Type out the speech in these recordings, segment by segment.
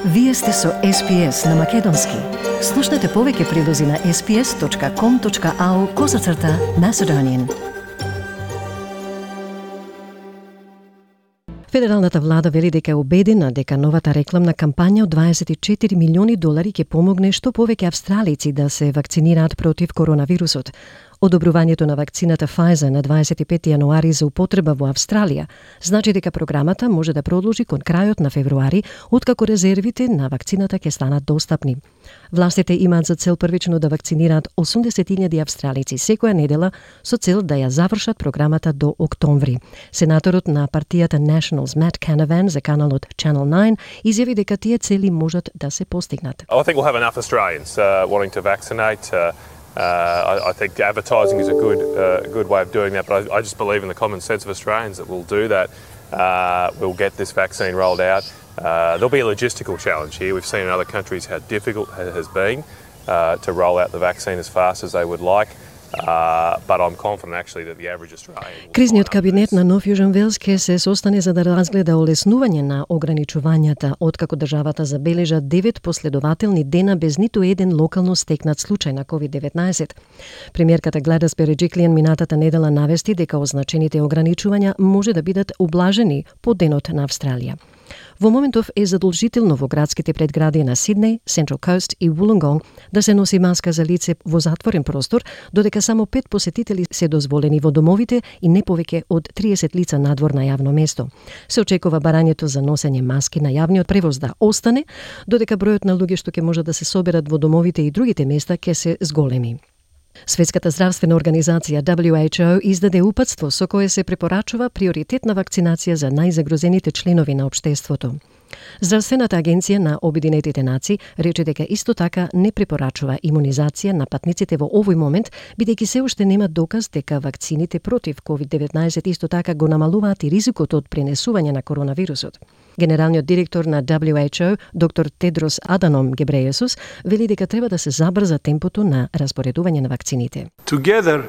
Вие сте со SPS на Македонски. Слушнете повеќе прилози на sps.com.au/Macedonian. Федералната влада вели дека е убедена дека новата рекламна кампања од $24 милиони ќе помогне што повеќе австралици да се вакцинираат против коронавирусот. Одобрувањето на вакцината Pfizer на 25 јануари за употреба во Австралија значи дека програмата може да продолжи кон крајот на февруари, откако резервите на вакцината ќе станат достапни. Властите имаат за цел првично да вакцинираат 80.000 австралици секоја недела со цел да ја завршат програмата до октомври. Сенаторот на партијата Nationals Matt Canavan за каналот Channel 9 изјави дека тие цели можат да се постигнат. I think we'll have enough Australians wanting to vaccinate. I think advertising is a good way of doing that, but I just believe in the common sense of Australians that we'll do that. We'll get this vaccine rolled out. There'll be a logistical challenge here. We've seen in other countries how difficult it has been to roll out the vaccine as fast as they would like. But I'm confident actually that the average Australian. Кризниот кабинет на Нов Јужен Велс ќе се состане за да разгледа олеснување на ограничувањата, откако државата забележа 9 последователни дена без ниту еден локално стекнат случај на COVID-19. Премиерката Гледис Береджиклијан минатата недела навести дека означените ограничувања може да бидат ублажени по денот на Австралија. Во моментов е задолжително во градските предгради на Сиднеј, Central Coast и Wollongong да се носи маска за лице во затворен простор, додека само 5 посетители се дозволени во домовите и не повеќе од 30 лица надвор на јавно место. Се очекува барањето за носење маски на јавниот превоз да остане, додека бројот на луѓе што ќе можат да се соберат во домовите и другите места ќе се зголеми. Светската здравствена организација WHO издаде упатство со кое се препорачува приоритетна вакцинација за најзагрозените членови на општеството. Здравствената агенција на Обединетите нации рече дека исто така не препорачува имунизација на патниците во овој момент, бидејќи се уште нема доказ дека вакцините против COVID-19 исто така го намалуваат и ризикот од пренесување на коронавирусот. Генералниот директор на WHO, доктор Тедрос Аданом Гебрејесус, вели дека треба да се забрза темпото на распоредување на вакцините. Together,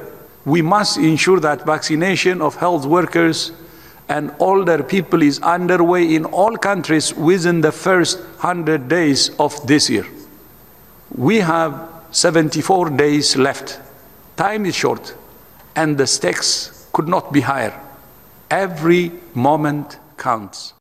we must ensure that vaccination of health workers and older people is underway in all countries within the first 100 days of this year. We have 74 days left. Time is short, and the stakes could not be higher. Every moment counts.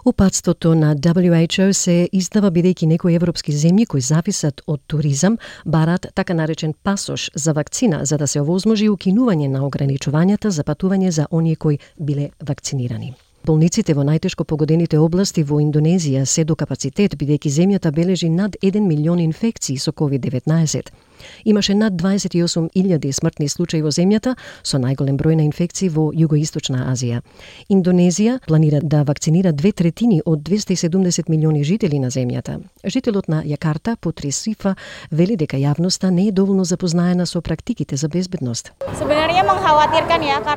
Упатството на WHO се издава бидејќи некои европски земји кои зависат од туризам барат така наречен пасош за вакцина за да се овозможи укинување на ограничувањата за патување за оние кои биле вакцинирани. Болниците во најтешко погодените области во Индонезија се до капацитет бидејќи земјата бележи над 1 милион инфекции со COVID-19. Имаше над 28.000 смртни случаи во земјата, со најголем број на инфекции во Југоисточна Азија. Индонезија планира да вакцинира 2/3 од 270 милиони жители на земјата. Жителот на Јакарта, Путри Сифа, вели дека јавноста не е доволно запознаена со практиките за безбедност.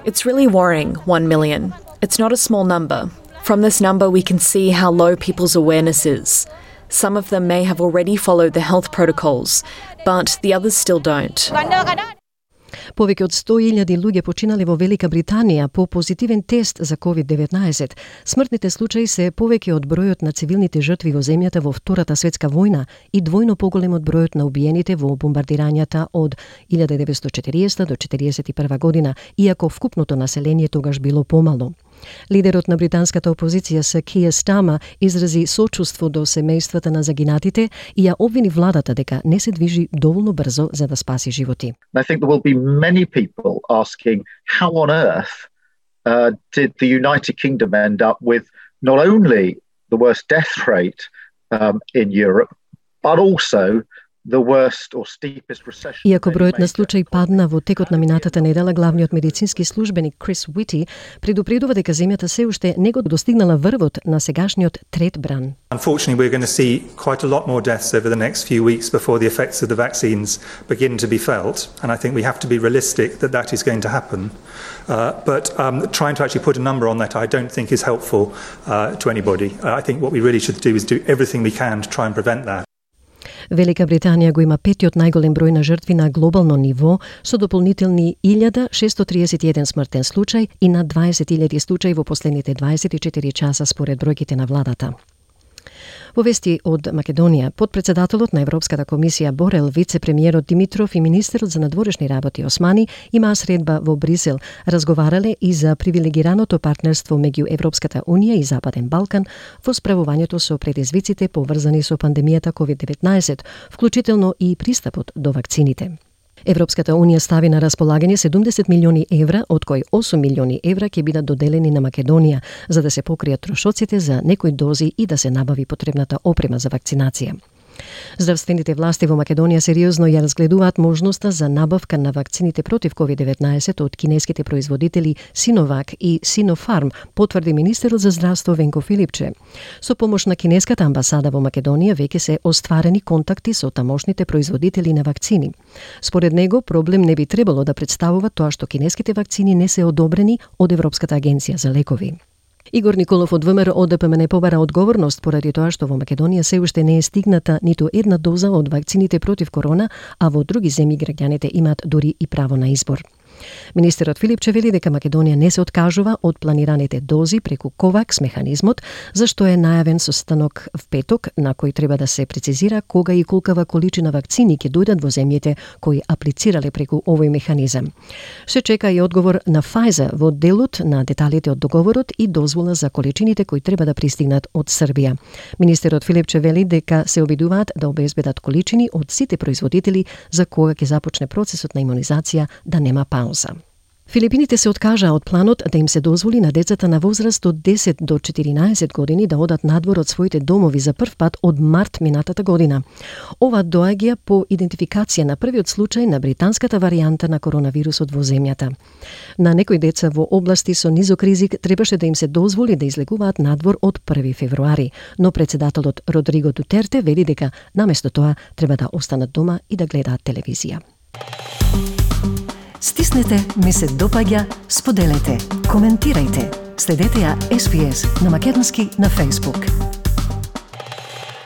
It's really worrying, 1 million. It's not a small number. From this number, we can see how low people's awareness is. Some of them may have already followed the health protocols, but the others still don't. Повеќе од 100.000 луѓе починале во Велика Британија по позитивен тест за COVID-19. Смртните случаи се повеќе од бројот на цивилните жртви во земјата во Втората светска војна и двојно поголем од бројот на убиените во бомбардирањата од 1940 до 1941 година, иако вкупното население тогаш било помало. Лидерот на британската опозиција Сир Киер Стармер изрази сочувство до семејствата на загинатите и ја обвини владата дека не се движи доволно брзо за да спаси животи. I think there will be many people asking how on earth did the United Kingdom end up with not only the worst death rate in Europe, but also the worst or steepest recession. Иако бројот на случаи падна во текот на минатата недела, главниот медицински службеник Крис Уити предупредува дека земјата се уште не го достигнала врвот на сегашниот трет бран. Unfortunately, we're going to see quite a lot more deaths over the next few weeks before the effects of the vaccines begin to be felt, and I think we have to be realistic that that is going to happen. But trying to actually put a number on that, I don't think is helpful to anybody. I think what we really should do is do everything we can to try and prevent that. Велика Британија го има петиот најголем број на жртви на глобално ниво, со дополнителни 1631 смртен случај и над 20.000 случаи во последните 24 часа според бројките на владата. Во вести од Македонија, подпредседателот на Европската комисија Борел, вице-премиерот Димитров и министерот за надворешни работи Османи имаа средба во Брисел. Разговарале и за привилегираното партнерство меѓу Европската унија и Западен Балкан во справувањето со предизвиците поврзани со пандемијата COVID-19, вклучително и пристапот до вакцините. Европската унија стави на располагање 70 милиони евра, од кои 8 милиони евра ќе бидат доделени на Македонија, за да се покријат трошоците за некои дози и да се набави потребната опрема за вакцинација. Здравствените власти во Македонија сериозно ја разгледуваат можноста за набавка на вакцините против COVID-19 од кинеските производители Синовак и Синофарм, потврди министерот за здравство Венко Филипче. Со помош на кинеската амбасада во Македонија веќе се остварени контакти со тамошните производители на вакцини. Според него, проблем не би требало да представува тоа што кинеските вакцини не се одобрени од Европската агенција за лекови. Игор Николов од ВМРО ОДПМН побара одговорност поради тоа што во Македонија се уште не е стигната ниту една доза од вакцините против корона, а во други земји граѓаните имаат дури и право на избор. Министерот Филипче вели дека Македонија не се откажува од планираните дози преку КОВАКС механизмот, зашто е најавен состанок в петок на кој треба да се прецизира кога и колкава количина вакцини ќе дојдат во земјите кои аплицирале преку овој механизам. Се чека и одговор на Pfizer во делот на деталите од договорот и дозвола за количините кои треба да пристигнат од Србија. Министерот Филипче вели дека се обидуваат да обезбедат количини од сите производители за кога ќе започне процесот на имунизација да нема пауза. Филипините се откажаа од планот да им се дозволи на децата на возраст од 10 до 14 години да одат надвор од своите домови за прв пат од март минатата година. Ова доаѓа по идентификација на првиот случај на британската варијанта на коронавирусот во земјата. На некои деца во области со низок ризик требаше да им се дозволи да излегуваат надвор од 1 февруари, но председателот Родриго Дутерте вели дека наместо тоа треба да останат дома и да гледаат телевизија. Стиснете, ми се допаѓа, споделете, коментирајте. Следете ја SPS на Македонски на Facebook.